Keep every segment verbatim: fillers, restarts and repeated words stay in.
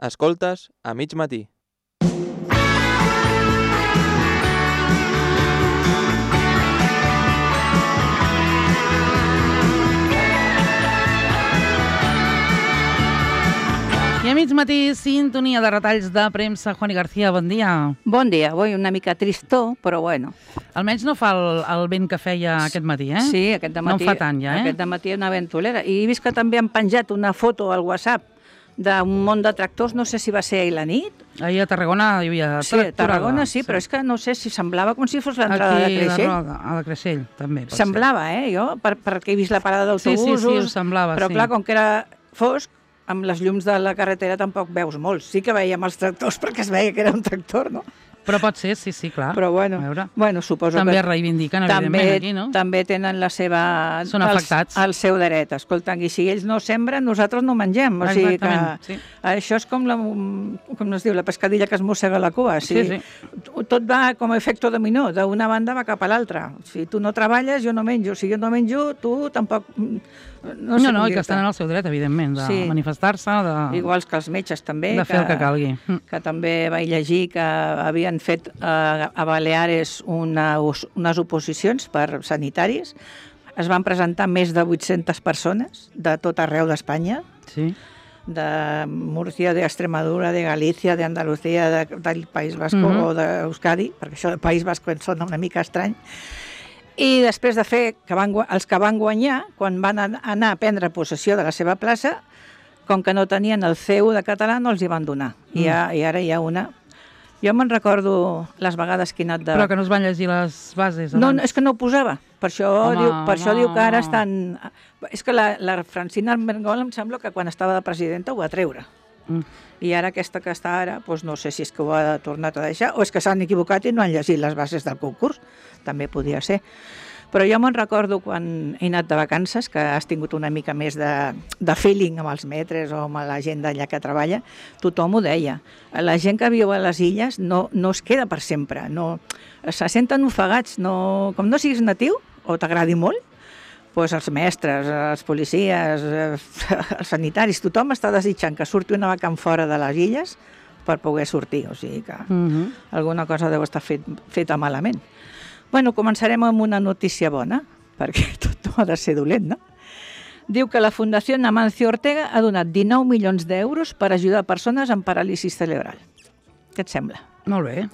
Escoltes a mig matí. I a mig matí, sintonia de retalls de premsa. Juani García, bon dia. Bon dia, avui una mica tristó, però bueno. Almenys no fa el, el vent que feia aquest matí, eh? Sí, aquest dematí. No en fa tant, ja, eh? Aquest dematí una ventolera. I he vist que també han penjat una foto al WhatsApp d'un munt de tractors, no sé si va ser ahir la nit. Ahir a Tarragona hi havia Sí, a Tarragona sí, sí, però és que no sé si semblava com si fos l'entrada de Creixell. Aquí, a de Creixell, també. Semblava, ser. eh, jo, per, perquè he vist la parada d'autobusos. Sí, sí, sí, ho semblava, però sí. clar, com que era fosc, amb les llums de la carretera tampoc veus molt. Sí que veiem els tractors perquè es veia que era un tractor, no? Però pot ser, sí, sí, clar. Però bueno, bueno suposo també que... es reivindiquen, també, evidentment, aquí, no? També tenen la seva... Són afectats. El, el seu dret. Escolta, i si ells no sembren, nosaltres no mengem. O sigui que sí. Això és com la, com es diu, la pescadilla que es mossega la cua. O sigui, sí, sí. Tot va com a efecte dominó. D'una banda va cap a l'altra. Si tu no treballes, jo no menjo. Si jo no menjo, tu tampoc... No, sé no, no i que estan en el seu dret, evidentment, de sí. manifestar-se, de... Iguals que els metges, també. De fer que, el que calgui. Que també vaig llegir que havien fet eh, a Baleares una, unes oposicions per sanitaris. Es van presentar més de vuit-centes persones de tot arreu d'Espanya. Sí. De Múrcia, d'Extremadura, de Galícia, d'Andalucía, de, del País Basco uh-huh. o d'Euskadi, perquè això del País Basco em sona una mica estrany. I després de fer que van, els que van guanyar, quan van anar a prendre possessió de la seva plaça, com que no tenien el C U de català, no els hi van donar. Mm. I, ha, I ara hi ha una... Jo me'n recordo les vegades que he anat de... Però que no es van llegir les bases abans. No, és que no ho posava. Per això, home, diu, per això home, diu que ara estan... És que la, la Francina Armengol em sembla que quan estava de presidenta ho va treure. Mm. I ara aquesta que està ara, doncs no sé si és que ho ha tornat a deixar o és que s'han equivocat i no han llegit les bases del concurs. També podia ser. Però jo me'n recordo quan he anat de vacances, que has tingut una mica més de, de feeling amb els metres o amb la gent d'allà que treballa, tothom ho deia. La gent que viu a les illes no, no es queda per sempre, no, se senten ofegats. No, com no siguis natiu o t'agradi molt, doncs els mestres, els policies, els sanitaris, tothom està desitjant que surti una vacant fora de les illes per poder sortir, o sigui que uh-huh. alguna cosa deu estar fet, feta malament. Bueno, començarem amb una notícia bona, perquè tot no ha de ser dolent, no? Diu que la Fundació Amancio Ortega ha donat dinou milions d'euros per ajudar persones amb paràlisi cerebral. Què et sembla? Molt bé.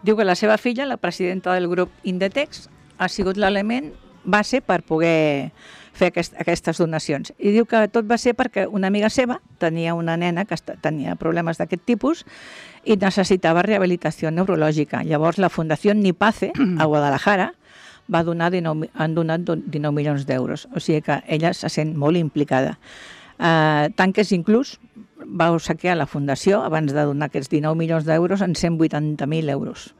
Diu que la seva filla, la presidenta del grup Indetex, ha sigut l'element base per poder fer aquest, aquestes donacions. I diu que tot va ser perquè una amiga seva tenia una nena que tenia problemes d'aquest tipus i necessitava rehabilitació neurològica. Llavors la Fundació Nipace, a Guadalajara, va donar dinou, han donat dinou milions d'euros. O sigui que ella se sent molt implicada. Uh, tant que és inclús va obsequiar la Fundació, abans de donar aquests dinou milions d'euros, en cent vuitanta mil euros.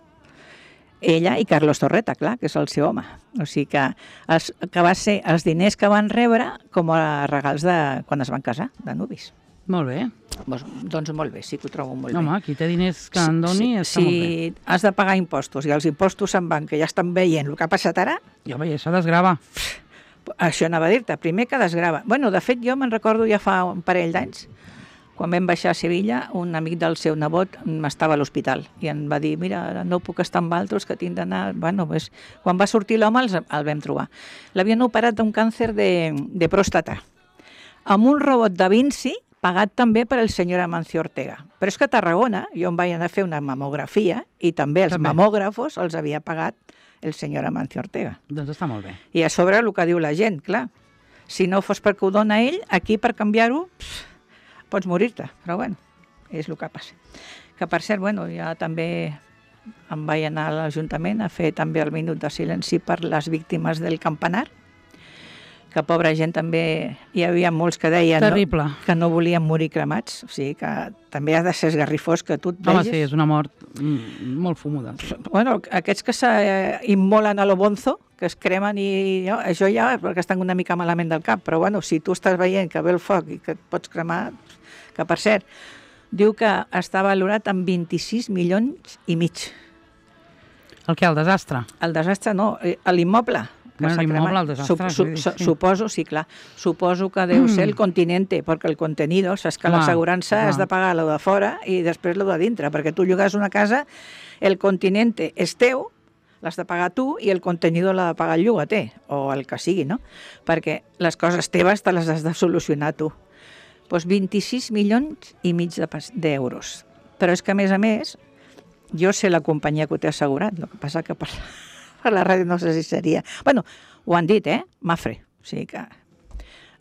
Ella i Carlos Torreta, clar, que és el seu home. O sigui que, els, que va ser els diners que van rebre com a regals de quan es van casar, de nuvis. Molt bé. Doncs, doncs molt bé, sí que ho trobo molt no, bé. Home, qui té diners que en doni sí, està sí, molt bé. Si has de pagar impostos i els impostos se'n van, que ja estan veient el que ha passat ara... Jo veia, això desgrava. Això anava a dir-te, primer que desgrava. Bueno, de fet, jo me'n recordo ja fa un parell d'anys, quan vam baixar a Sevilla, un amic del seu nebot estava a l'hospital i em va dir, mira, no puc estar amb altres que tinc d'anar... Bueno, pues, quan va sortir l'home el, el vam trobar. L'havien operat d'un càncer de, de pròstata, amb un robot da Vinci pagat també per el senyor Amancio Ortega. Però és que a Tarragona jo em vaig anar a fer una mamografia i també els també. mamògrafos els havia pagat el senyor Amancio Ortega. Doncs està molt bé. I a sobre el que diu la gent, clar. Si no fos perquè ho dona ell, aquí per canviar-ho... pots morir-te, però bueno, és el que passa. Que per cert, bueno, ja també em vaig anar a l'Ajuntament a fer també el minut de silenci per les víctimes del campanar, que pobra gent també, hi havia molts que deien no, que no volien morir cremats, o sigui que també ha de ser esgarrifós que tu et vegis... Home, sí, és una mort molt fumuda. Bueno, aquests que s'immolen a lo bonzo, que es cremen i no, això ja perquè estan una mica malament del cap, però bueno, si tu estàs veient que ve el foc i que et pots cremar, que per cert, diu que està valorat en vint-i-sis milions i mig. El què, el desastre? El desastre no, l'immoble. que Bueno, s'ha l'immoble, cremat. el desastre, Sup- vull dir, su- sí. Suposo, sí, clar, suposo que deu ser el continente, perquè el contenido, saps que Clar, l'assegurança clar. has de pagar lo de fora i després lo de dintre, perquè tu llogues una casa, el continente és teu, l'has de pagar tu i el contenido l'ha de pagar el llogater, o el que sigui, no? Perquè les coses teves te les has de solucionar tu. Doncs vint-i-sis milions i mig de pas- d'euros. Però és que, a més a més, jo sé la companyia que ho té assegurat, el que passa que per, per la ràdio no sé si seria... Bueno, ho han dit, eh? Mafre. O sigui que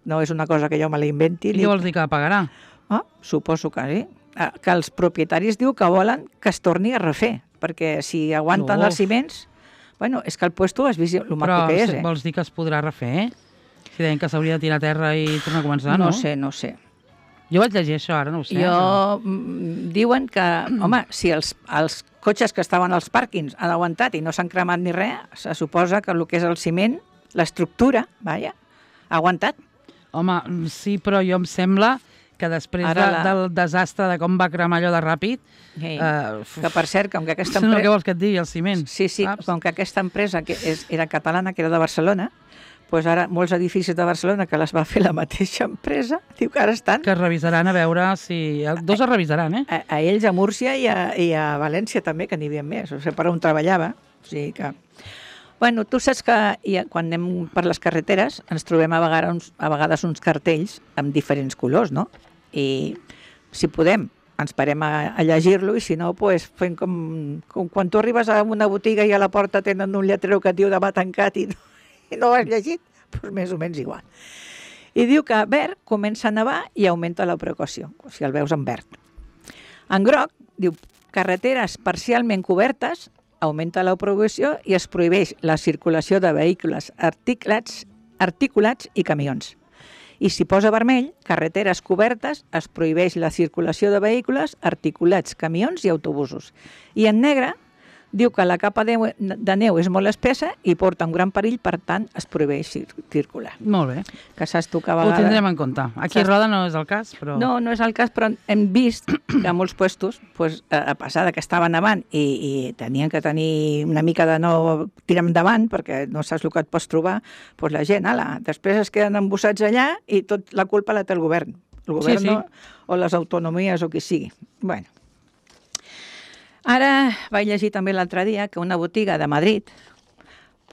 no és una cosa que jo me la inventi. I què vols dir que pagarà? Ah, suposo que sí. Ah, que els propietaris diu que volen que es torni a refer, perquè si aguanten Uf. els ciments... Bueno, és que el puesto has vist el maco Però que és, se- eh? vols dir que es podrà refer? Si deien que s'hauria de tirar a terra i tornar a començar, no? No sé, no sé. Jo vaig llegir això, ara no ho sé. Jo, mm, diuen que, home, si els, els cotxes que estaven als pàrquings han aguantat i no s'han cremat ni res, se suposa que el que és el ciment, l'estructura, vaja, ha aguantat. Home, sí, però jo em sembla que després de, Ara la- del desastre de com va cremar allò de ràpid... Sí. Eh, Que, per cert, com que aquesta no, què empresa... vols que et digui, el ciment? Sí, sí, saps? com que aquesta empresa que és, era catalana, que era de Barcelona, doncs ara molts edificis de Barcelona que les va fer la mateixa empresa, diu que ara estan Que es revisaran a veure si... Dos es revisaran, eh? a, a ells, a Múrcia i a, i a València també, que n'hi havia més, o sigui, per on treballava. O sigui que... Bueno, tu saps que hi ha, quan anem per les carreteres ens trobem a vegades, uns, a vegades uns cartells amb diferents colors, no? I si podem, ens parem a, a llegir-lo i si no, pues, fem com, com quan tu arribes a una botiga i a la porta tenen un lletrero que et diu demà tancat i no, i no ho has llegit, doncs més o menys igual. I diu que verd comença a nevar i augmenta la precaució, si el veus en verd. En groc, diu, carreteres parcialment cobertes, augmenta la prohibició i es prohibeix la circulació de vehicles articulats, articulats i camions. I si posa vermell, carreteres cobertes, es prohibeix la circulació de vehicles articulats, camions i autobusos. I en negre, diu que la capa de, de neu és molt espessa i porta un gran perill, per tant, es prohibeix cir circular. Molt bé. Que saps tu que a Ho vegades... tindrem en compte. Aquí a Saps? Roda no és el cas, però... No, no és el cas, però hem vist que a molts puestos, pues, a passar que estaven avant i, i tenien que tenir una mica de no tirar endavant, perquè no saps el que et pots trobar, pues la gent, ala, després es queden embossats allà i tot la culpa la té el govern. El govern Sí, sí. no, o les autonomies o qui sigui. Bueno. Ara vaig llegir també l'altre dia que una botiga de Madrid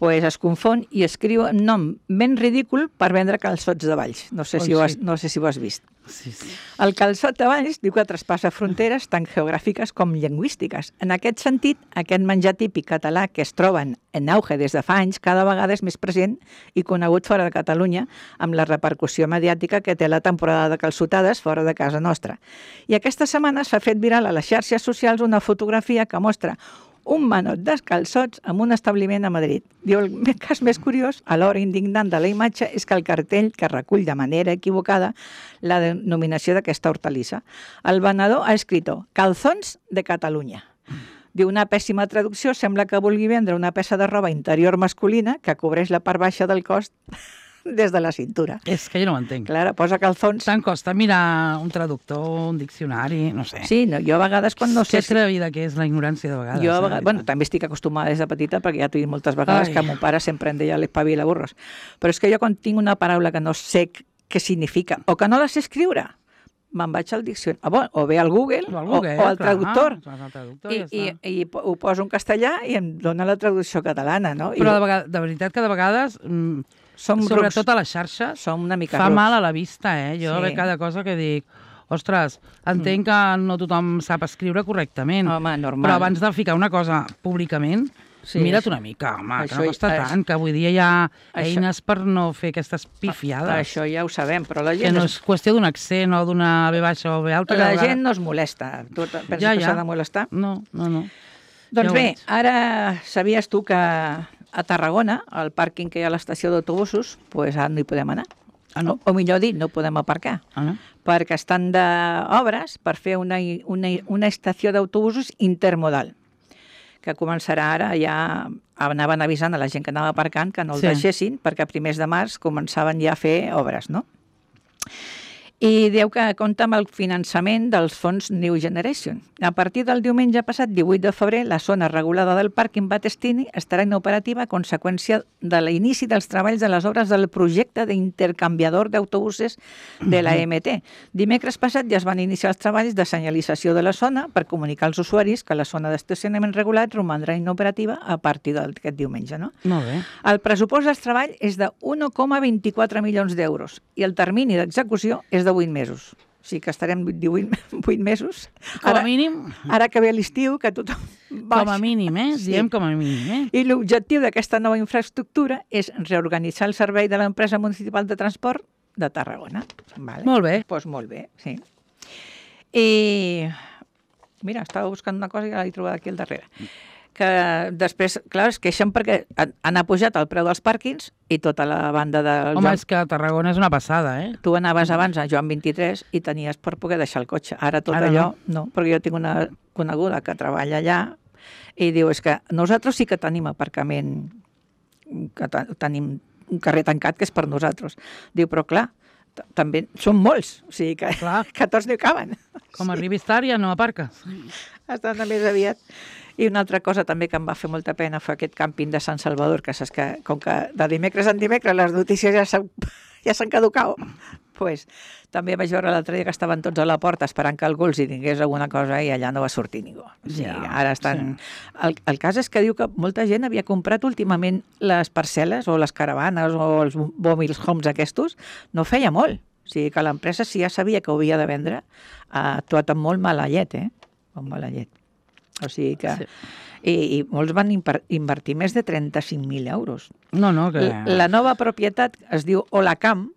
pues es confon i escriu un nom ben ridícul per vendre calçots de Valls. No sé, Oi, si ho has, sí. no sé si ho has vist. Sí, sí. El calçot de Valls diu que traspassa fronteres tant geogràfiques com lingüístiques. En aquest sentit, aquest menjar típic català que es troben en auge des de fa anys cada vegada és més present i conegut fora de Catalunya amb la repercussió mediàtica que té la temporada de calçotades fora de casa nostra. I aquesta setmana s'ha fet viral a les xarxes socials una fotografia que mostra un manot de calçots en un establiment a Madrid. Diu, el cas més curiós, alhora indignant de la imatge, és que el cartell que recull de manera equivocada la denominació d'aquesta hortalissa. El venedor ha escrit calzons de Catalunya. Diu, una pèssima traducció sembla que vulgui vendre una peça de roba interior masculina que cobreix la part baixa del cos des de la cintura. És que jo no ho entenc. Clar, posa calzons. Tant costa mirar un traductor, un diccionari, no sé. Sí, no, jo a vegades quan no Que sé... atrevida que és la ignorància de vegades. Jo, a eh, vegades, i bueno, tant. també estic acostumada des de petita perquè ja t'ho he dit moltes vegades Ai. que mon pare sempre em deia l'espavila burros. Però és que jo quan tinc una paraula que no sé què significa o que no la sé escriure, me'n vaig al diccionari, o, o bé al Google O al o, Google, o al clar, traductor, vas al traductor, i, ja i, està. i po- ho poso en castellà i em dona la traducció catalana, no? I Però de, vegades, de veritat que de vegades, mm, som sobretot rucs, a les xarxes, som una mica fa rucs. mal a la vista, eh? Jo Sí. ve cada cosa que dic, ostres, entenc que no tothom sap escriure correctament, Home, normal. però abans de ficar una cosa públicament, Sí, mira't això- una mica, home, això- que no costa això- tant, que avui dia hi ha això- eines per no fer aquestes pifiades. Això ja ho sabem, però la Que gent, no es, és qüestió d'un accent o d'una B baixa o B alta. que la a vegades- gent no es molesta. Tu te- penses Ja, que ja. s'ha de molestar? No, no, no. Doncs Ja ho bé, veig. ara sabies tu que a Tarragona, al pàrquing que hi ha a l'estació d'autobusos, pues ara no hi podem anar. Ah, no? O, o millor dit, no podem aparcar, Ah, no? perquè estan d'obres per fer una, una, una estació d'autobusos intermodal, que començarà ara, ja anaven avisant a la gent que anava aparcant que no el Sí. deixessin, perquè a primers de març començaven ja a fer obres, no? I diu que compta amb el finançament dels fons New Generation. A partir del diumenge passat, divuit de febrer, la zona regulada del pàrquing Battestini estarà inoperativa a conseqüència de l'inici dels treballs de les obres del projecte d'intercanviador d'autobuses de la M T. Dimecres passat ja es van iniciar els treballs de senyalització de la zona per comunicar als usuaris que la zona d'estacionament regulat romandrà inoperativa a partir d'aquest diumenge. No? Molt bé. El pressupost dels treballs és de un coma vint-i-quatre milions d'euros i el termini d'execució és de vuit mesos. O sigui que estarem divuit, vuit mesos. Com Ara, a mínim, ara que ve l'estiu, que tothom baixa. com a mínim, eh? Diem com a mínim, eh? I l'objectiu d'aquesta nova infraestructura és reorganitzar el servei de l'empresa municipal de transport de Tarragona. Vale. Molt bé. Doncs molt bé, sí. I mira, estava buscant una cosa i l'he trobat aquí al darrere. Que després, clar, es queixen perquè han, han apujat el preu dels pàrquings i tota la banda de... Home, Joan... és que Tarragona és una passada, eh? Tu anaves abans a Joan vint-i-tres i tenies per poder deixar el cotxe. Ara tot Ara allò, no. no, perquè jo tinc una coneguda que treballa allà i diu, és que nosaltres sí que tenim aparcament, que tenim un carrer tancat que és per nosaltres. Diu, però clar, també són molts, o sigui que, que tots no hi caben. Com arribis tard ja no aparques. Estan més aviat. I una altra cosa també que em va fer molta pena fa aquest càmping de Sant Salvador, que saps que com que de dimecres en dimecres les notícies ja s'han ja s'han caducat, pues, també vaig veure l'altre dia que estaven tots a la porta esperant que algú els hi digués alguna cosa i allà no va sortir ningú. O sigui, ja, ara estan... Sí. El, el cas és que diu que molta gent havia comprat últimament les parcel·les o les caravanes o els mobile homes aquests, no feia molt. O sigui que l'empresa, si ja sabia que ho havia de vendre, ha actuat amb molt mala llet, eh? Amb mala llet. O sigui que... Sí. I, I molts van invertir més de trenta-cinc mil euros. No, no, que... La, la nova propietat es diu Olacam,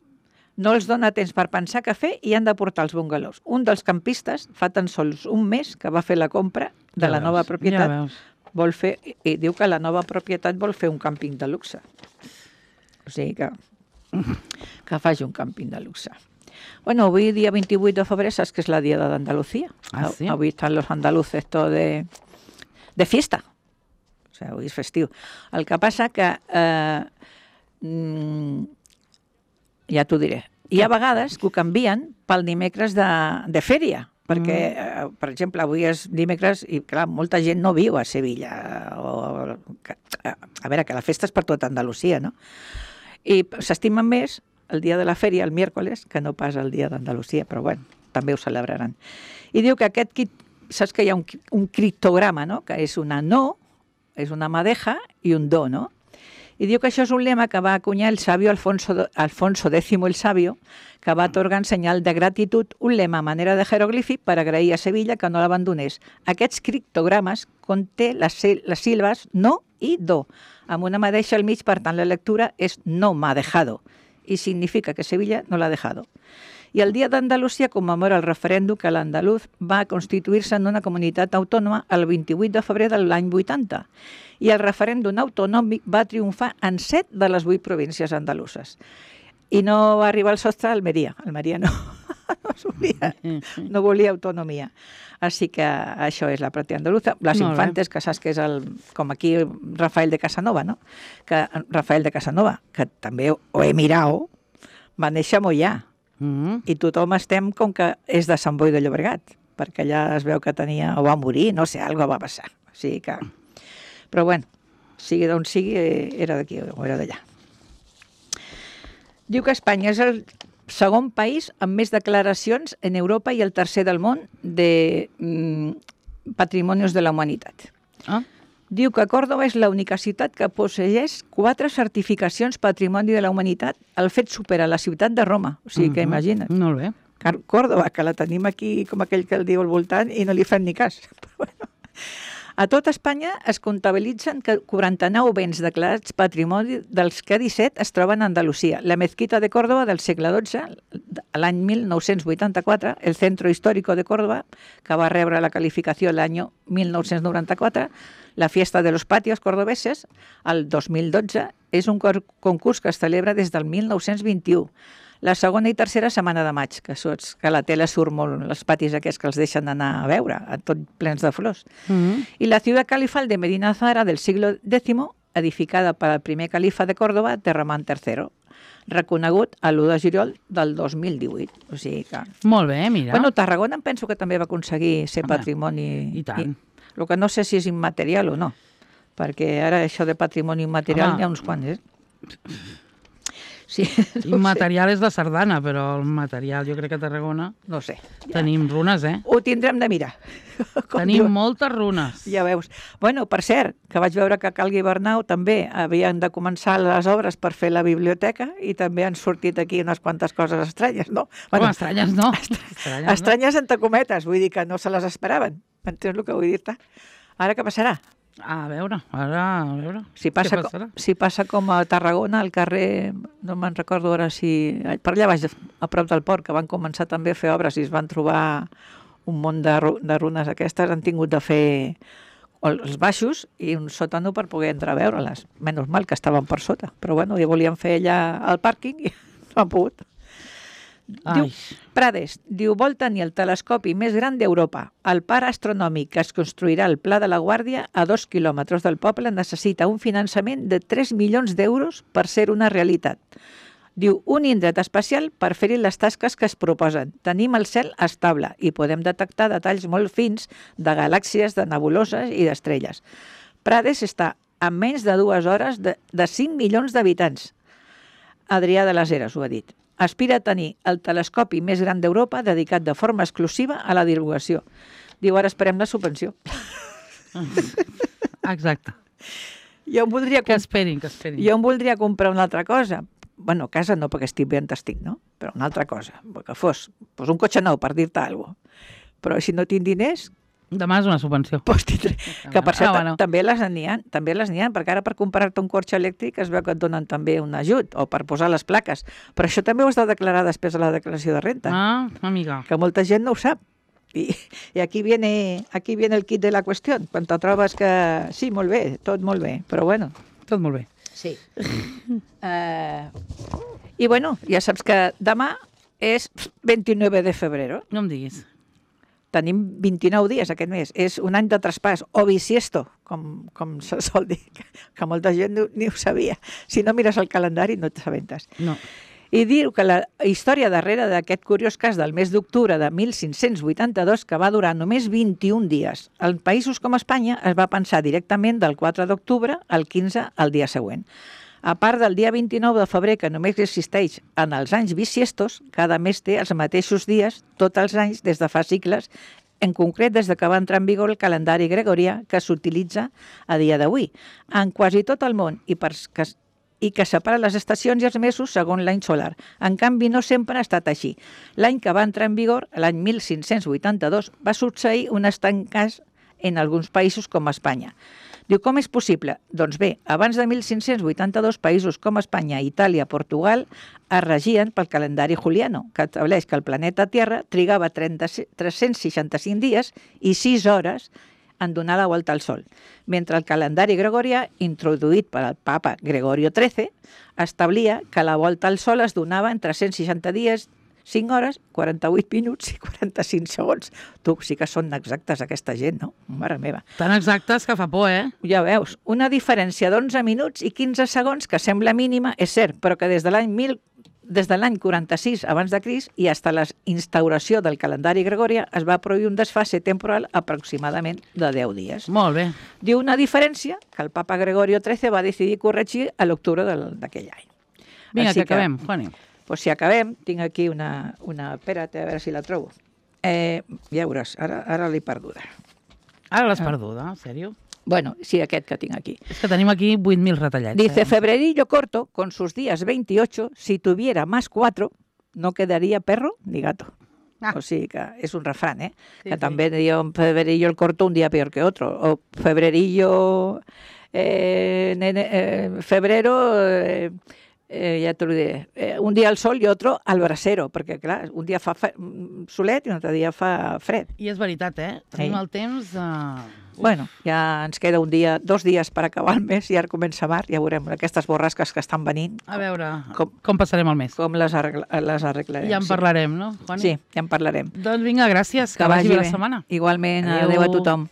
no els dona temps per pensar què fer i han de portar els bungalows. Un dels campistes fa tan sols un mes que va fer la compra de ja la veus, nova propietat. Ja veus. Vol fer, i diu que la nova propietat vol fer un càmping de luxe. O sigui que, que faci un càmping de luxe. Bueno, avui, dia vint-i-vuit de febrer, saps que és la dia d'Andalucía. Ah, sí? Avui estan los andaluces tot de, de fiesta. O sigui, avui és festiu. El que passa que, eh, mm, ja t'ho diré, hi ha vegades que ho canvien pel dimecres de, de fèria, perquè, mm. eh, per exemple, avui és dimecres i, clar, molta gent no viu a Sevilla. O, que, a veure, que la festa és per tota Andalusia, no? I s'estimen més el dia de la fèria, el miércoles, que no pas el dia d'Andalusia, però bueno, també ho celebraran. I diu que aquest, saps que hi ha un, un criptograma, no? Que és una no, és una madeja i un do, no? I diu que això és un lema que va acunyar el sabio Alfonso, Alfonso X el Sabio, que va atorgar en senyal de gratitud un lema a manera de jeroglífic per agrair a Sevilla que no l'abandonés. Aquests criptogrames conté les, les síl·labes no i do, amb una madeja al mig, per tant la lectura és no m'ha dejado, i significa que Sevilla no l'ha dejado. I el Dia d'Andalusia commemora el referèndum que l'andaluz va constituir-se en una comunitat autònoma el vint-i-vuit de febrer de l'any vuitanta. I el referèndum autonòmic va triomfar en set de les vuit províncies andaluses. I no va arribar al sostre a Almeria. Almeria no, no, volia, no volia autonomia. Així que això és la pròpia andaluza. Les Molt Infantes, bé. que saps que és el, com aquí Rafael de Casanova, no? Que Rafael de Casanova, que també ho he mirat, va néixer a Moià. Mm. I tothom estem com que és de Sant Boi de Llobregat, perquè allà es veu que tenia, o va morir, no sé, alguna va passar. O sigui que... Però bueno, sigui d'on sigui, era d'aquí o era d'allà. Diu que Espanya és el segon país amb més declaracions en Europa i el tercer del món de mm, patrimonis de la humanitat. Ah. Diu que Còrdova és l'única ciutat que posseeix quatre certificacions Patrimoni de la Humanitat. El fet supera la ciutat de Roma. O sigui que Uh-huh. imagina't. Molt bé. Còrdova, que la tenim aquí com aquell que el diu al voltant i no li fem ni cas. Però bueno. A tot Espanya es comptabilitzen que quaranta-nou béns declarats patrimoni, dels que disset es troben a Andalusia. La mezquita de Còrdova del segle dotze, l'any mil nou-cents vuitanta-quatre, el Centro Histórico de Córdoba, que va rebre la qualificació l'any mil nou-cents noranta-quatre, la Fiesta de los Patios Cordobeses, el dos mil dotze, és un concurs que es celebra des del mil nou-cents vint-i-u. La segona i tercera setmana de maig, que saps que la tele surt molt, els patis aquests que els deixen anar a veure, tot plens de flors. Mm-hmm. I la ciutat califal de Medina Zahara del siglo décimo edificada per al primer califa de Còrdova, Terramant tercero, reconegut a l'u de juliol del dos mil divuit. O sigui que... Molt bé, mira. Bueno, Tarragona em penso que també va aconseguir ser Home, patrimoni... i tant. I, el que no sé si és immaterial o no, perquè ara això de patrimoni immaterial Home. n'hi ha uns quants, eh? Sí, no Immaterial és la sardana, però el material, jo crec que a Tarragona No sé. tenim runes, eh? Ho tindrem de mirar. Com Tenim diuen. moltes runes. Ja veus. Bueno, per cert, que vaig veure que a Cal Guibernau també havien de començar les obres per fer la biblioteca i també han sortit aquí unes quantes coses estranyes, no? Bueno, estranyes no. Estranyes, Estranyes entre cometes, vull dir que no se les esperaven. Entens el que vull dir-te? Ara què passarà? no? A veure, ara, a veure. Si passa, Què passarà? com, si passa com a Tarragona, al carrer, no me'n recordo ara si... Per allà baix, a prop del port, que van començar també a fer obres i es van trobar un munt de, ru de runes aquestes, han tingut de fer els baixos i un sòtano per poder entrar a veure-les. Menys mal que estaven per sota, però bueno, ja volien fer allà al pàrquing i no han pogut. Diu, Ai. Prades, diu, vol tenir el telescopi més gran d'Europa. El parc astronòmic que es construirà al Pla de la Guàrdia, a dos quilòmetres del poble, necessita un finançament de tres milions d'euros per ser una realitat. Diu, un indret especial per fer-hi les tasques que es proposen. Tenim el cel estable i podem detectar detalls molt fins de galàxies, de nebuloses i d'estrelles. Prades està a menys de dues hores de, de cinc milions d'habitants. Adrià de les Heres ho ha dit. Aspira a tenir el telescopi més gran d'Europa dedicat de forma exclusiva a la divulgació. Diu, ara esperem la subvenció. Exacte. Jo em voldria, Que esperin, que esperin. jo em voldria comprar una altra cosa. Bueno, casa no, perquè estic ben estic, no? Però una altra cosa, que fos pues un cotxe nou, per dir-te alguna cosa. Però si no tinc diners, Demà és una subvenció. doncs tindré... Que per cert, Ah, bueno. també les n'hi ha, també les n'hi ha, perquè ara per comprar-te un cotxe elèctric es veu que et donen també un ajut, o per posar les plaques. Però això també ho has de declarar després de la declaració de renta, Ah, amiga. que molta gent no ho sap. I, i aquí, viene, aquí viene el kit de la qüestió, quan te trobes que sí, molt bé, tot molt bé, però bueno. Tot molt bé. Sí. uh, I bueno, ja saps que demà és vint-i-nou de febrer. No em diguis. Tenim vint-i-nou dies aquest mes. És un any de traspàs, o bisiesto, com, com se sol dir, que molta gent ni, ni ho sabia. Si no mires el calendari no t'assabentes. No. I diu que la història darrere d'aquest curiós cas del mes d'octubre de mil cinc-cents vuitanta-dos, que va durar només vint-i-un dies. En països com Espanya es va pensar directament del quatre d'octubre al quinze al dia següent. A part del dia vint-i-nou de febrer, que només existeix en els anys bisiestos, cada mes té els mateixos dies tots els anys des de fa segles, en concret des de que va entrar en vigor el calendari gregorià que s'utilitza a dia d'avui. En quasi tot el món, i, per, que, i que separa les estacions i els mesos segons l'any solar. En canvi, no sempre ha estat així. L'any que va entrar en vigor, l'any mil cinc-cents vuitanta-dos, va succeir un estrany cas en alguns països com Espanya. Diu, com és possible? Doncs bé, abans de mil cinc-cents vuitanta-dos, països com Espanya, Itàlia, Portugal es regien pel calendari juliano, que estableix que el planeta Terra trigava tres-cents seixanta-cinc dies i sis hores en donar la volta al Sol, mentre el calendari gregorià, introduït per al papa Gregorio tretze, establia que la volta al Sol es donava en tres-cents seixanta dies, cinc hores, quaranta-vuit minuts i quaranta-cinc segons. Tu, sí que són exactes aquesta gent, no? Mare meva. Tan exactes que fa por, eh? Ja veus, una diferència d'onze minuts i quinze segons que sembla mínima, és cert, però que des de l'any mil des de l'any quaranta-sis abans de Crist i fins a la instauració del calendari gregorià es va produir un desfase temporal aproximadament de deu dies. Molt bé. Diu una diferència que el papa Gregorio tretze va decidir corregir a l'octubre d'aquell any. Vinga, Així que acabem, Juani. Pues si acabem, tinc aquí una... una espera't, a veure si la trobo. Eh, ja veuràs, ara, ara l'he perduda. Ara l'has perduda, en sèrio? Bueno, sí, aquest que tinc aquí. És que tenim aquí vuit mil retallats. Dice, eh? Febrerillo corto, con sus días veintiocho, si tuviera más cuatro, no quedaría perro ni gato. Ah. O sigui que és un refrán, eh? Sí, que sí. també diu Febrerillo el corto un dia peor que otro. O Febrerillo... Eh, nene, eh, febrero... Eh, Eh, ja t'ho diré, eh, un dia al sol i otro al brasero, perquè clar, un dia fa solet i un altre dia fa fred. I és veritat, eh? Tenim Sí. el temps... Uh... Bueno, ja ens queda un dia, dos dies per acabar el mes i ara comença mar, ja veurem aquestes borrasques que estan venint, A veure, Com- com, com passarem el mes. com les, arregla, les arreglarem. Ja en sí. parlarem, no, Juani? Sí, ja en parlarem. Doncs vinga, gràcies. Que, que vagi bé la setmana. Igualment, Adéu. adéu a tothom.